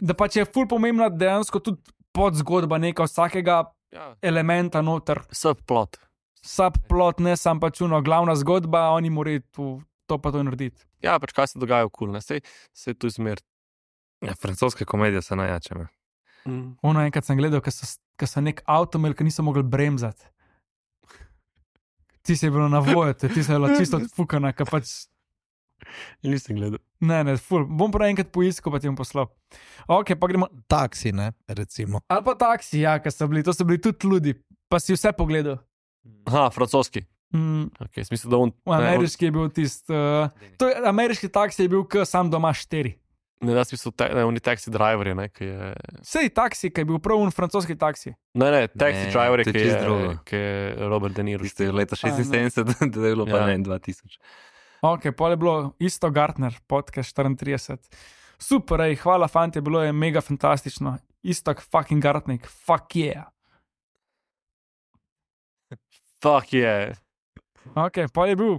Da pač je ful pomembna dejansko tudi podzgodba neka vsakega Ja, elementa noter. subplot. Subplot, ne sam pač uno, glavna zgodba, oni morajo tu to pa to narediti. Ja, pač kaj se dogaja okoli, ne, sej se je tu izmer. Ja, francoske komedije so najjače. me. Mm. Ono enkrat sem gledal, ker so, ker so nek avto imeli, ki niso mogli bremzati. Ti si je bilo na voju, ti si je bila čisto odfukana, ker pač. Nisem gledal. Ne, ne, ful. Bom prav enkrat poiskal, pa ti bom poslal. Ok, pa gremo. Taksi, ne, recimo. Ali pa taksi, ja, ker so bili, to so bili tudi ljudi, pa si vse pogledal. Aha, francoski. Mm, Okay, mislim, da on, ameriški je bil tisti. Uh, to je, ameriški taksi je bil, k sam doma štiri. ne, jaz mislim, te, ne, oni taxi driverji, ne, ki je. Sej taksi, ki je bil prav un francoski taksi. Ne, ne, taxi Ne, driverji, to je ki čisto je, drugo. ki je Robert De Niro. Tiste leta šestinsedemdeset, da je bilo pa Ja. ne dva tisoč. Ok, pol je bilo isto Gartner, podcast štiriintrideset. Super, ej, hvala, fanti, bilo je mega fantastično. Isto fucking Gartnik, fuck yeah. Fuck je. Ok, pol je bil.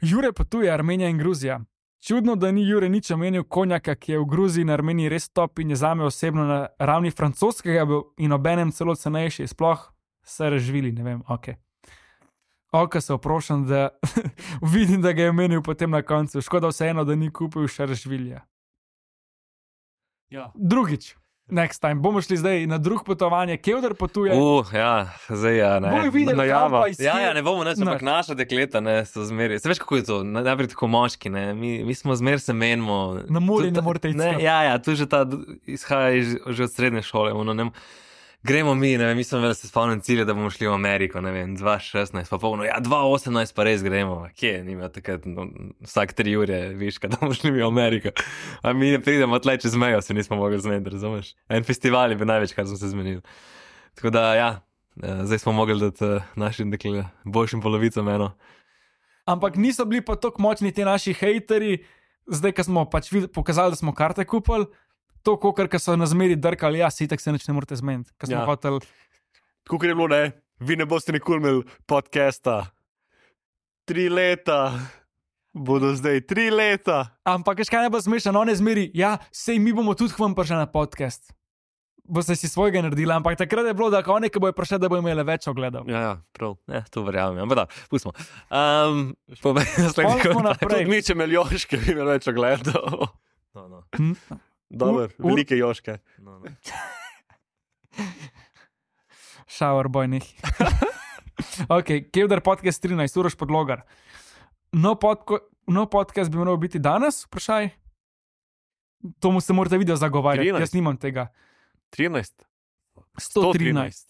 Jure potuje Armenija in Gruzija. Čudno, da ni Jure nič omenil konjaka, ki je v Gruziji in Armeniji res top in je zame osebno na ravni francoskega bil in obenem celo cenejši, sploh se razvili, ne vem, ok. Ok, se oprošam, da vidim, da ga je omenil potem na koncu. Škoda vseeno, da ni kupil še razvilja. Ja. Drugič, next time, bomo šli zdaj na drug potovanje, Kevdar potuje. Uh, ja, zdaj ja, ne. Bomo videli, najava. kam pa iz Ja, kje- ja, ne bomo več, ampak Ne. naša dekleta ne, so zmeri. Se veš, kako je to? Na- Najprej tako moški, ne. Mi, mi smo zmer se menimo. Na morju Tu ne ta- morete iti ne, skupaj. Ja, ja, tu že ta d- izhaja iz, že od srednje šole. Ono, ne, gremo mi, ne vem, mi smo imeli se spomnim cilje, da bomo šli v Ameriko, ne vem, dva šestnajst, pa polno, ja, dva osemnajst pa res gremo. Kje, nima takrat, no, vsak tri ure, viška, da bomo šli mi v Ameriko. A mi ne pridemo tle čez mejo, se nismo mogli zmeniti, razumeš? En festival je bil največ, kar smo se zmenili. Tako da, ja, eh, zdaj smo mogli dati eh, našim dekle, boljšim polovicam eno. Ampak niso bili pa tako močni ti naši hejteri, zdaj, ko smo pač vid- pokazali, da smo karte kupili, to, kokar so na zmeri drkali, ja, si tako se nič ne morete zmeniti. Ko smo Ja. hoteli, Tako je bilo, ne, vi ne boste nikoli imeli podcasta. Tri leta. Bodo zdaj tri leta. ampak veš kaj najbolj smešno, one zmeri, ja, sej mi bomo tudi k vam prišli na podcast. boste si svojega naredili, ampak takrat je bilo, da kao nekaj bojo prišli, da bojo imeli več ogledov. Ja, ja, prav. Ja, to verjamem. Ampak da, pustimo. Um, povej naslednji Pol smo komentar. naprej. Tudi mi, če imeli joške, bi imeli več ogledov. No, no. Hm? Dober, Ur- ur- velike joške. No, no. Shower boy neki. Ok, Kevdar podcast trinajst, Uroš Podlogar. No, podko, no podcast bi moral biti danes, vprašaj. To mu se morate video zagovarjati, trinajst. jaz nimam tega. trinajst. sto trinajst.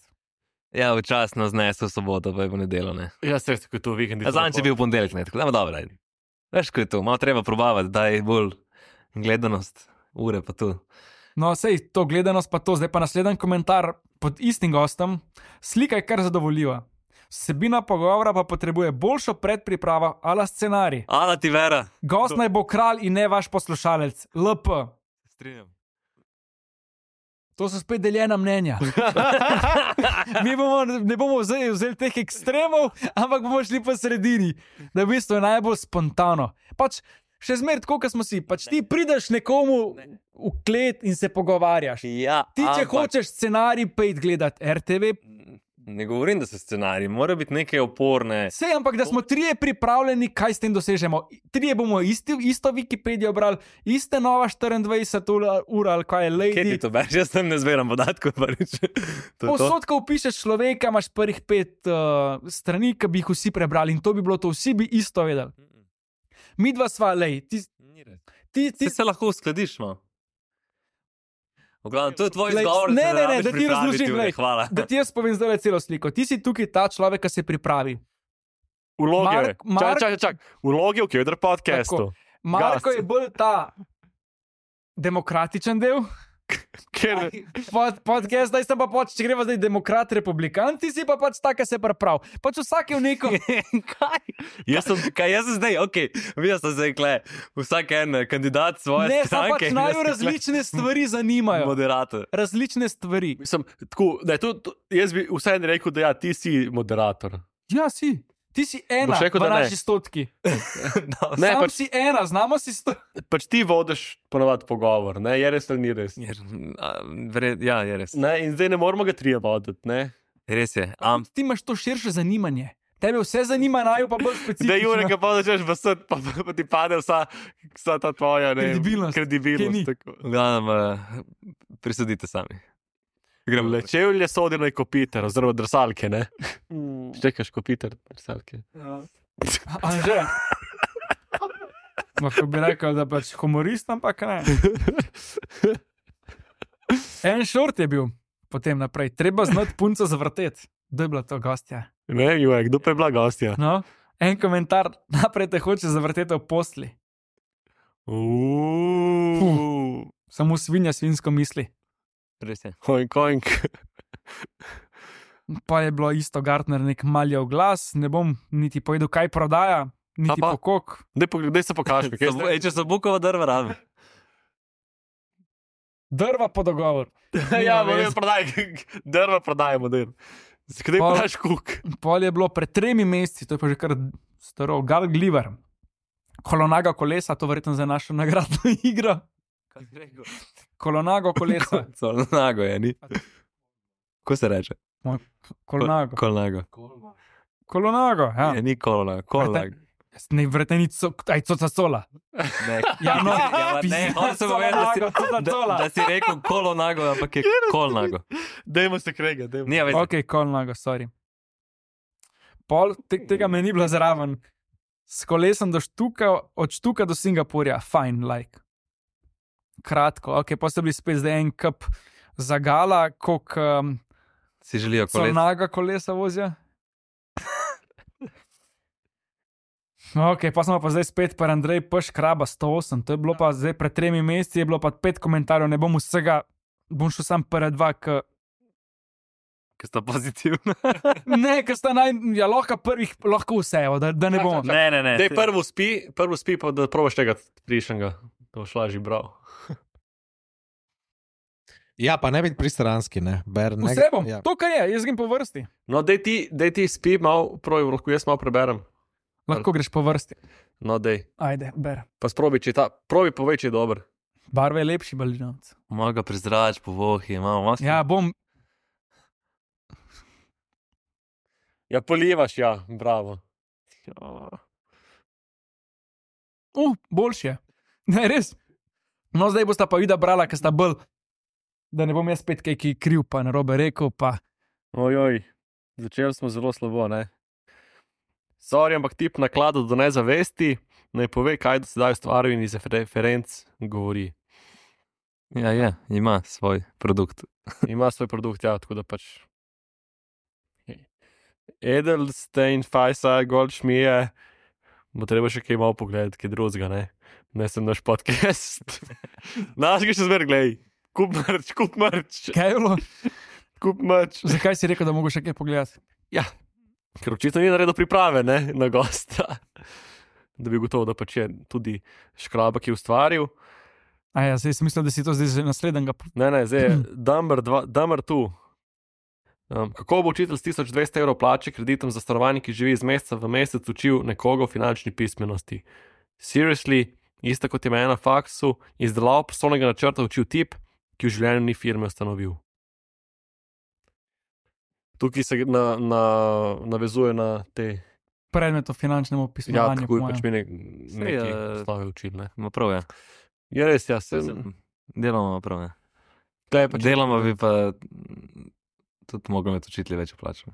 Ja, včasno znesel soboto, pa je v nedeljo, ne. Ja, se je to vikend. Ja, Zadnjič je bil ponedeljek, ne, tako da ima dobro. ajde. Veš, ko je to, malo treba probavati, da je bolj gledanost, ure pa tu. No, sej to gledanost pa to, zdaj pa naslednji komentar pod istim gostom. Slika je kar zadovoljiva. Vsebina pogovora pa potrebuje boljšo predpripravo ala scenarij. Ana ti vera. Gost naj bo kralj in ne vaš poslušalec. L P. Strinjam. To so spet deljena mnenja. Mi bomo, ne bomo vzeli, vzeli teh ekstremov, ampak bomo šli po sredini, da v bistvu je najbolj spontano. Pač še zmeraj tako, kot smo si. Pač ti prideš nekomu v klet in se pogovarjaš. Ja, Ti, če ampak- hočeš scenarij, pejt gledati R T V. Ne govorim, da so scenariji, mora biti nekaj oporne. Sej, ampak da smo trije pripravljeni, kaj s tem dosežemo. Trije bomo isti, isto Wikipedijo brali, iste Nova štiriindvajset ur ali kaj je Kje Lady. ti to bereš? Jaz tam ne zberam podatkov. prvič. To je to. Povsod, ko vpišeš človeka, imaš prvih pet uh, strani, ki bi jih vsi prebrali in to bi bilo to, vsi bi isto vedeli. Mi dva sva, lej, ti, Ni res. ti, ti, Ti se lahko uskladiš, no. V glavnem, to je tvoj Glej, izgovor, ne, se ne, ne, rabiš da ti pripraviti, razložim, Jure, glej. hvala. da ti jaz povem zdaj celo sliko. Ti si tukaj ta človek, ki se pripravi. Vloge. Mark- Mark- Čak, čak, čak. Vloge v Kevdar podcastu. Marko Gost. je bolj ta demokratičen del. Ker, Pod, podcast, zdaj sem pa pač, če greva zdaj demokrat, republikan, ti si pa pač ta, ki se pripravi. Pač vsak je v neko. Kaj? Jaz sem, kaj jaz sem zdaj, ok, videl sem zdaj, kle, vsak en eh, kandidat svoje Ne, samo stranke. pač jaz naju sem, različne stvari zanimajo. Moderator. Različne stvari. mislim, tako, ne, to, to, jaz bi vseeno rekel, da ja, ti si moderator. Ja, si. Ti si ena, Boš rekel, v da ne? naši stotki. No, Ne, Sam pač- si ena, znamo si sto. Pač ti vodiš ponovadi pogovor, ne, je res ali ni res. je, a, vred, ja, je res. Ne, in zdaj ne moramo ga trije voditi, ne. Res je. Am, Ti imaš to širše zanimanje. Tebe vse zanima, naju pa bolj specifično. Da, Jure, ko pa začneš vasati, pa, pa, pa ti pade vsa, vsa ta tvoja ne, vem, Kredibilnost. Ki ni. kredibilnost. tako. v glavnem, uh, prisudite sami. Gremo. Le čevlje sodi na kopiter, oziroma drsalke, ne. Čekaš kopiter, drsalke. Anže. Lahko bi rekel, da pač humorist, ampak ne. En šort je bil, potem naprej. Treba znati punco zavrteti. Kdo je bila to gostja? Ne, Jure, kdo pa je bila gostja? No? En komentar, naprej te hoče zavrteti v posli. Uuuu. Samo svinja svinsko misli. Res je. Oink, oink. Pa je bilo isto, Gartner nek maljev glas, ne bom niti povedal, kaj prodaja, niti pa? pokok. Daj, po- daj se pokaži, kaj Sabo- je. ej, Če so bukova drva rabi. Drva po dogovor. Ja, Nima model veze. prodaj, drva prodaj, model. Zakaj Pa- prodaš kuk? Pol je bilo pred tremi meseci, to je pa že kar staro, Gal Gliver. Kolonaga kolesa, to verjetno za našo nagradno igro. Kaj bi rekel? Kolonago kolesa. Kolnago je, ni? Ko se reče? Kolonago. Kolnago. Kolonago, ja. Je, ni kolnago. Kolnago. Ne, verjetno ni co, aj coca cola. Ne, Ja, no, ja, ne, on se bo vedel, da si, coca da, cola. da si rekel kolonago, ampak je kolnago. Dajmo se krega, dajmo. Ni, veš, Ok, kolonago, sorry. Pol te, tega me ni bilo zraven. S kolesom do štuka, od štuka do Singapurja, fajn, like. Kratko, ok, pa so bili spet zdaj en kup zagala, koliko um, si želijo koles. naga kolesa vozijo. Ok, pa smo pa zdaj spet par Andrej Pš Kraba sto osem, to je bilo pa zdaj pred tremi meseci, je bilo pa pet komentarjev, ne bom vsega, bom šel sam prva dva, k... Ki sta pozitivna. ne, ker sta naj, ja, lahko prvih, lahko vse, evo, da, da ne bomo. Ne, ne, ne. Daj prvo spi, prvo spi, pa da probaš tega prišnega. To boš lažje bral. Ja, pa ne biti pristranski, ne. Ber, ne Vse bom, ja. to kar je, jaz grem po vrsti. No, daj ti, daj ti spi malo, prav, lahko jaz malo preberem. Lahko greš po vrsti. No, dej. Ajde, ber. Pa sprobi, če je ta, probi povej, če je dober. Barve je lepši balinovec. Moga prezrač po vohi, imamo maske. Ja, bom. Ja, polivaš, ja, bravo. Ja. Uh, boljši je. Ne, res. No, zdaj bosta pa vida brala, ker sta bolj, da ne bom jaz spet kaj ki kriv, pa narobe rekel, pa... Ojoj, začeli smo zelo slabo, ne? Sorry, ampak tip nakladu do nezavesti, naj pove, kaj do sedaj ustvaril in iz referenc govori. Ja, je, ima svoj produkt. Ima svoj produkt, ja, tako da pač... Edelstein, Fajsa, Goldschmier, bo treba še kaj malo pogledati, kaj drugega, ne? Ne sem naš podcast. Naš ga še zmer, glej. Kup mrč, kup mrč. Kaj je bilo? Kup mrč. Zakaj si rekel, da mogo še kaj pogledati? Ja, ker očitno ni naredil priprave, ne, na gosta. Da bi gotovo, da pač je tudi Škraba, ki je ustvaril. A ja, zdaj sem mislil, da si to zdaj že naslednjega... Ne, ne, zdaj je Dumber tu. Um, kako bo učitelj s tisoč dvesto evrov plače kreditom za stanovanje, ki živi iz meseca v mesec, učil nekoga o finančni pismenosti? Seriously, isto kot je me na faksu, izdelal poslovnega načrta učil tip, ki v življenju ni firme ustanovil. Tukaj se na, na, navezuje na te... Predmet o finančnem Ja, opisovanju. tako je pač mi nek, Saj, neki eh, osnovi učil, ne. Ma prav je. Je res, ja, se... Deloma prav je. Tle je pač... Deloma bi pa tudi mogli imeti učitelji več plačo.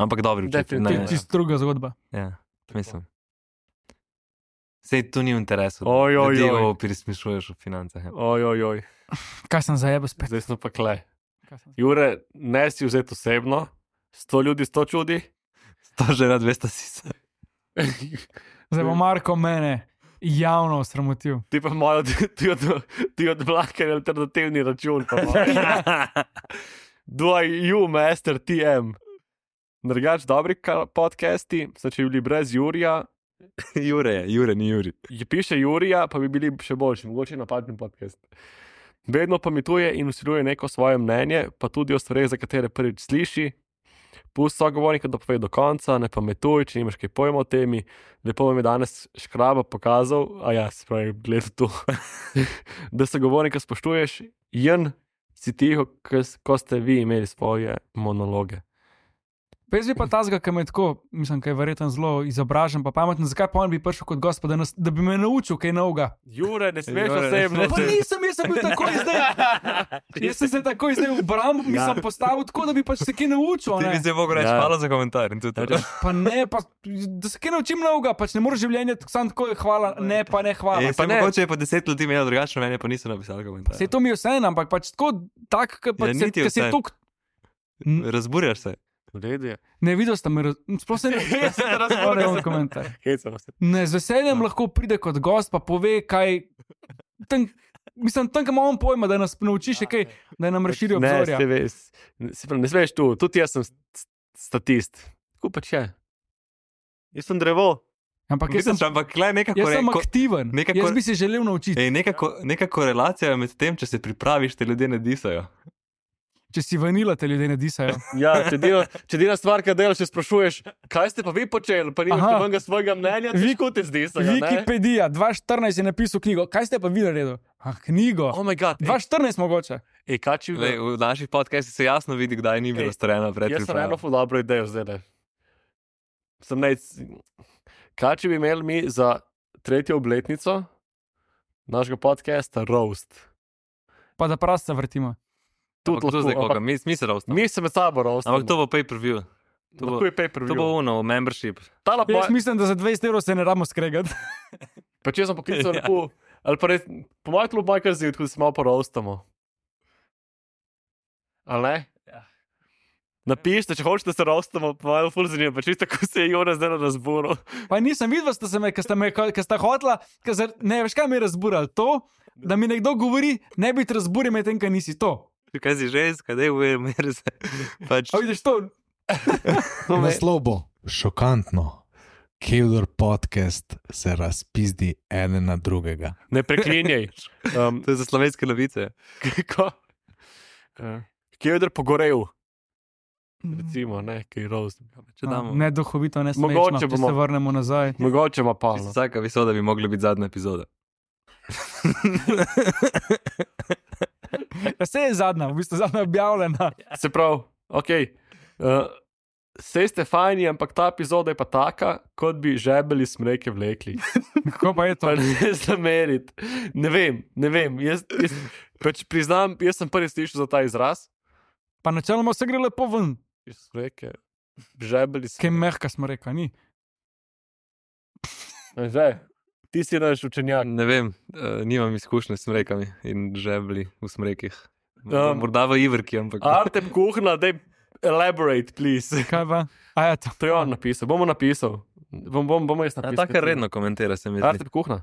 Ampak dobri učitelji. To Definitivno. je čisto druga zgodba. Ja, mislim. Sej tu ni v interesu, da Oj, oj, ljudi oj. prismišuješ v financah. Ja. Oj, oj, oj. Kaj sem zajebal spet? Zdaj smo pa kle. Kaj sem... Jure, ne si vzeti osebno, sto ljudi, sto čudi. To že na dvesto sisa. Zdaj bo Marko mene javno osramotil. Ti pa imajo, ti od, ti od blaka alternativni račun. Pa imajo. Do you, master T M. Drugač, dobri ka- podcasti, so če bi bili brez Jurija, Jure je, Jure ni Juri. je piše Jurija, pa bi bili še boljši, mogoče napadni podcast. Vedno pametuje in usiljuje neko svoje mnenje, pa tudi o stvareh, za katere prvič sliši. Pusti sogovornika, da pove do konca, ne pametuj, če nimaš kaj pojma o temi. Lepo vam je danes Škraba pokazal, a ja, se pravi, gledaj tu, da sogovornika spoštuješ, jen si tiho, ko ste vi imeli svoje monologe. Pa jaz bi pa tazga, ki me tako, mislim, kaj je verjetno zelo izobražen, pa pameten, zakaj pa on bi prišel kot gost, pa da, nas, da bi me naučil kaj novega. Jure, ne smeš Jure, ne osebno. Pa nisem, jaz sem bil takoj zdaj. Jaz sem se takoj zdaj v brambo, mislim, postavil tako, da bi pač se kaj naučil. Ti Ne? bi se mogel reči, Ja. hvala za komentar. In tudi to. Pa ne, pa, da se kaj naučim novega, pač ne moreš življenje samo tako, hvala, ne, pa ne, hvala. E, pa ne. mogoče je pa deset ljudi imelo drugačno mnenje, pa niso napisali komentar. Se to mi je vseeno, ampak pač tako, tak, ki Ja, pač se, niti ki se vseeno. tuk... Razburjaš se. V redu je. Ne, videl sem, me raz... sploh se ne razumem komentar. Hecamo se. Ne, z veseljem lahko pride kot gost, pa pove, kaj. Tam, mislim, tam, kam imamo pojma, da nas nauči še kaj, da nam razširi Ne, obzorja. se veš, se pravi, ne smeš tu, tudi jaz sem st- statist. Tako pač je. Jaz sem drevo. Ampak jaz sem, Misliš, ampak klej nekako jaz sem ko- aktiven. neka Jaz kor- bi se želel naučiti. Ej, neka, ko, neka korelacija je med tem, če se pripraviš, te ljudje ne disajo. Če si vanila, te ljudje ne disajo. Ja, če dela, če dela stvar, ki delaš, še sprašuješ, kaj ste pa vi počeli, pa nimaš Aha. nobenega svojega mnenja, Vi- ti kot zdi se. Wikipedija, dva tisoč štirinajst je napisal knjigo. Kaj ste pa vi naredili? Ah, knjigo. Oh, moj bog. dva tisoč štirinajst mogoče. Ej, kaj če Lej, v naših podcastih se jasno vidi, kdaj ni bilo Ej, storjeno Jaz sem predpriprava. eno ful dobro idejo zdaj. le. Sem nec... Kaj če bi imeli mi za tretjo obletnico našega podcasta Roast? Pa da prasta vrtimo. Ampak to lahko, zdaj koga, ampak mi, mi se roastamo. Mi se med sabo roastamo. Ampak to bo pay per view. To bo, Lahko je pay per to bo uno, membership. Tala Jaz pa, mislim, da za dvajset evrov se ne ramo skregati. pa če sem poklical Ja. lepo, ali pa res, po mojem klubu moj kar zid, ko se malo poroastamo. Ali ne? Ja. Napišite, če hočete se roastamo, pa malo ful zanimivo, pa čisto ko se je Jona zdaj na razboru. Pa nisem videl, da ste me, ker ste me, ker ste hotla, ker se, ne veš, kaj me je razburalo. To, da mi nekdo govori, ne biti razburjen, medtem, kaj nisi to. Kaj si ženska, da je v emer se. Pač, A vidiš to? Naslov bo šokantno. Kevdor podcast se razpizdi ene na drugega. Ne preklinjaj. Um, to je za slovenske novice. Kako? Uh, Kje je pogorel? Recimo, ne, kaj je roast. Če damo. Ne duhovito, ne Mogoče smečno, če bomo- se vrnemo nazaj. Mogoče ima pa. Vsaka epizoda bi mogla biti zadnja epizoda. Vse je zadnja, v bistvu zadnja objavljena. Se pravi, ok. Uh, Sej ste fajni, ampak ta epizoda je pa taka, kot bi žebeli smreke vlekli. Kako pa je to? Pa ne zameriti. Ne vem, ne vem. Jaz, jaz, pač priznam, jaz sem prvi slišal za ta izraz. Pa načeloma vse gre lepo ven. Smreke, žebeli Kaj smreke. mehka smreka, ni? Že, ti si naš učenjak. Ne vem, uh, nimam izkušnje s smrekami in žebli v smrekih. Um, Morda v Ivrki, ampak. Artem kuhna, daj elaborate, please. Kaj pa? A je to? To je on napisal, bomo napisal. Bom, bom, bomo jaz A, napisal. tako redno komentira, se mi zdi. Artem kuhna.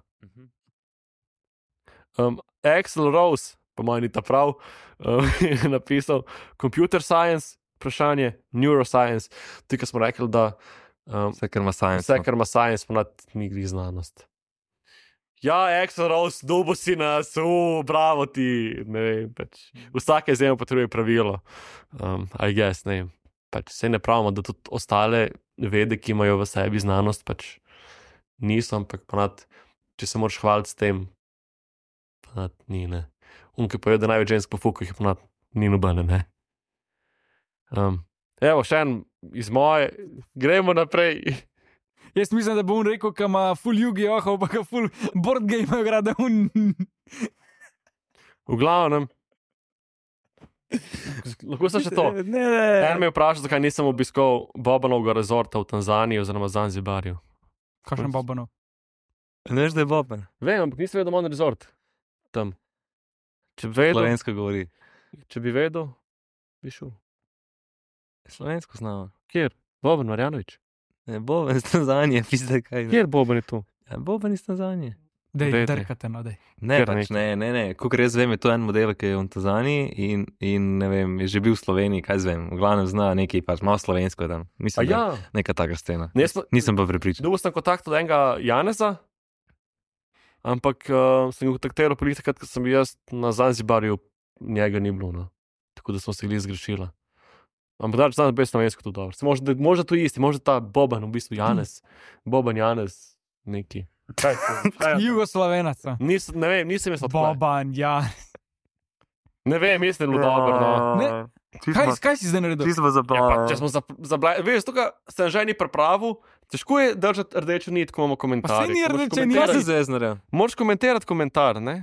Um, Axel Rose, po mojem, ni ta prav, um, je napisal computer science, vprašanje neuroscience. Tukaj smo rekli, da um, Vse, kar ima science. vse, kar ima science, ponad ni gre znanost. Ja, Axel Rose, dobo si nas, uh, bravo ti. Ne vem, pač. Vsaka izjema potrebuje pravilo. Um, I guess, ne vem. Pač se ne pravimo, da tudi ostale vede, ki imajo v sebi znanost, pač niso, ampak ponad, če se moraš hvaliti s tem, ponad ni, ne. Unke pojejo, da največ žensk po fuku jih ponad ni nobene, ne. Um, evo, še en iz moje, gremo naprej. Jaz mislim, da bo on rekel, da ima full jugi ohov, pa ga full board game igra, da on... V glavnem, lahko sem še to. Ne, ne. En me je vprašal, zakaj nisem obiskal Bobanovega rezorta v Tanzaniji oziroma Zanzibarju. Kakšen Bobanov? Ne veš, da je Boban. Vem, ampak nisem vedel, da ima on rezort tam. Če bi vedel, Slovensko govori. če bi vedel, bi šel. Slovensko znamo. Kjer? Boban Marjanovič. Ne, Boban iz Tanzanije, pizde kaj. Kjer Boban je tu? Ja, Boban iz Tanzanije. Dej, Dej, dej. drkate, no, dej. Ne, Kar pač nekaj. ne, ne, ne. Kolikor jaz vem, je to en model, ki je v Tanzaniji in, in ne vem, je že bil v Sloveniji, kaj zvem. V glavnem zna nekaj, pač malo slovensko tam. A Mislim, ja, da je neka taka scena. Ne, jaz pa- Nisem pa prepričan. dobil sem kontakt od enega Janeza, ampak uh, sem ga kontaktiral prvi takrat, ko sem bil jaz na Zanzibarju, njega ni bilo, no. Tako da smo se gli zgrešila. Ampak da, znam bez slovensko to dobro. Se Možda, možda to isti, možda ta Boban, v bistvu Janez. Boban Janez, neki. Kaj, kaj, Jugoslovenac. Nis, ne vem, nisem jaz odpla. Boban, ja. Ne vem, mislim, da je bilo dobro. No. Ne. Kaj, kaj si zdaj naredil? Čisto Ja, pa, zabavno. če smo zablajali, veš, tukaj sem že ni pripravil, težko je držati rdečo nit, ko imamo Pa komentarje. saj ni Ko moraš rdeče niti. Kaj komentirati- se zdaj znaredil? Moraš komentirati komentar, ne?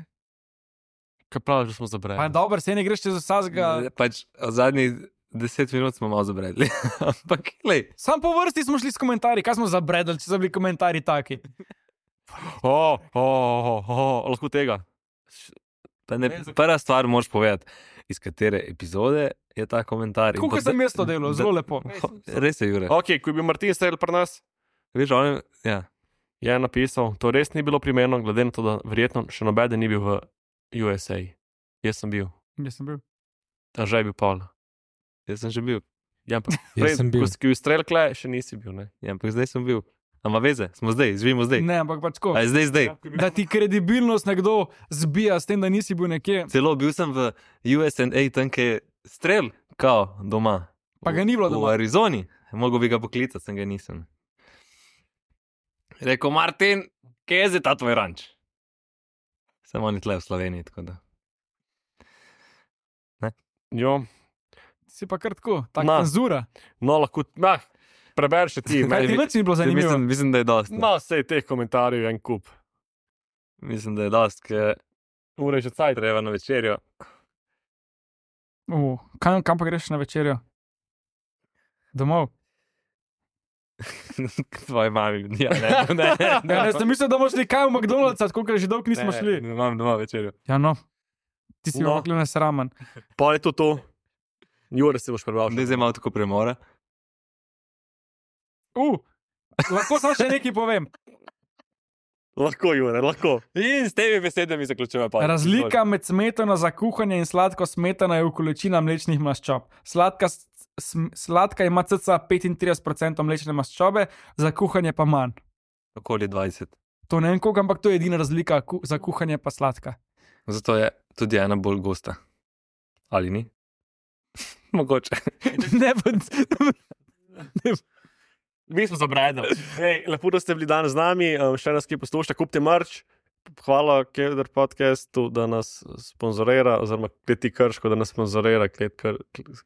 Kaj praviš, da smo Pa zabrali? dobro, se ne greš čez vsakega. Pač od zadnjih deset minut smo malo zabredli. Ampak, glej, Sam po vrsti smo šli s komentarji, kaj smo zabredali, če so bili komentarji taki. O, o, o, o, lahko tega. pa ne, prva stvar moraš povedati, iz katere epizode je ta komentar. in Kako pa sem da- jaz to delal, da- zelo lepo. Res je, Jure. Ok, ko je bil Martin Strel pri nas, Veš, on, ja. je napisal, to res ni bilo primerno, glede na to, da verjetno še nobeden ni bil v U S A. Jaz sem bil, Jaz sem bil. a že je bil Paul. Jaz sem že bil. Ja, ampak Jaz sem bil. ko si bil Strel kle, še nisi bil, ne? Ja, ampak zdaj sem bil. Ama veze, smo zdaj, živimo zdaj. Ne, ampak pač tako. A je zdaj, zdaj. Da ti kredibilnost nekdo zbija s tem, da nisi bil nekje. Celo bil sem v U S A, tam kjer je strel, kao doma. Pa ga ni bilo V doma. Arizoni, mogel bi ga poklicati, sem ga nisem. Rekel, Martin, kje je zdaj ta tvoj ranč? Samo oni tle v Sloveniji, tako da. Jo, Si pa kar tako, Na. tako cenzura. no, lahko, nah, prebereš ti. Kaj ti mi- več ni bilo zanimivo? Mislim, mislim, da je dosti. No, sej teh komentarjev je en kup. Mislim, da je dosti, ker Ure že cajt. treba na večerjo. Uh, kam, kam pa greš na večerjo? Domov. Tvoji mami, ja, ne, ne, ne, ne, Ja, jaz sem mislil, da boš šli kaj v McDonald'sa, koliko že dolgo nismo ne, šli. Ne, imam doma večerjo. Ja, no. Ti si No. no. ne sramen. Pa je to to. Jure si boš prebral. Zdaj zdaj malo tako premora. Uh, lahko samo še nekaj povem. Lahko, Jure, lahko. In s temi besedami zaključujemo. pa. Razlika med smetano za kuhanje in sladko smetano je v količini mlečnih maščob. Sladka, s- sm- sladka ima cca petintrideset odstotkov mlečne maščobe, za kuhanje pa manj. Okoli dvajset. To ne vem koliko, ampak to je edina razlika, ku, za kuhanje pa sladka. Zato je tudi ena bolj gosta. Ali ni? Mogoče. ne, pa, Mi smo zabredali. Hey, lepo, da ste bili danes z nami, um, še nas ki poslušate, kupite merch, hvala Keder podcastu, da nas sponzorira, oziroma Kleti Krško, da nas sponzorira Klet Kr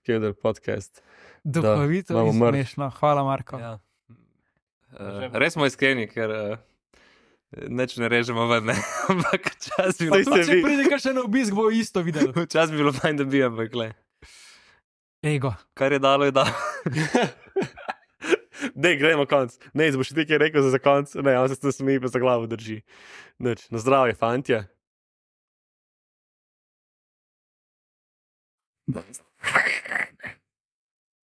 Keder podcast. Duhovito imamo in mrk. smešno. Hvala, Marko. Ja. Uh, res smo iskreni, ker uh, neč ne režemo ven, ne. Ampak čas bi Pa bilo, tudi, če pride kakšen na obisk, bo isto videl. čas bi bilo fajn, da bi, ampak le. Ego. Kar je dalo, je dalo. Dej, gremo konc. Ne, boš ti kaj rekel za konc? Ne, on se s smeji pa za glavo drži. Nič. Na zdravje, fantje.